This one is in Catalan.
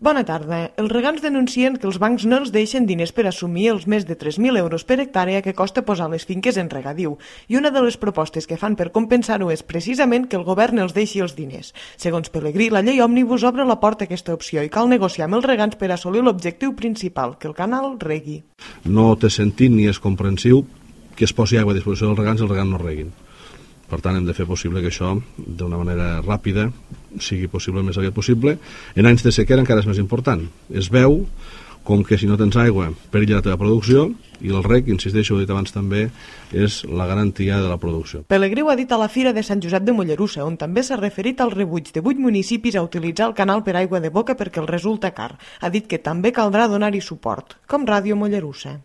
Bona tarda. Els regants denuncien que els bancs no els deixen diners per assumir els més de 3.000 euros per hectàrea que costa posar les finques en regadiu, i una de les propostes que fan per compensar-ho és precisament que el govern els deixi els diners. Segons Pelegrí, la llei òmnibus obre la porta a aquesta opció i cal negociar amb els regants per assolir l'objectiu principal, que el canal regui. No té sentit ni és comprensiu que es posi aigua a disposició dels regants i els regants no reguin. Per tant, hem de fer possible que això, d'una manera ràpida, sigui possible el més aviat possible. En anys de sequera encara és més important. Es veu com que si no tens aigua perilla la teva producció, i el reg, insisteixo, ho he dit abans també, és la garantia de la producció. Pelegrí ho ha dit a la Fira de Sant Josep de Mollerussa, on també s'ha referit al rebuig de 8 municipis a utilitzar el canal per aigua de boca perquè els resulta car. Ha dit que també caldrà donar-hi suport, com Ràdio Mollerussa.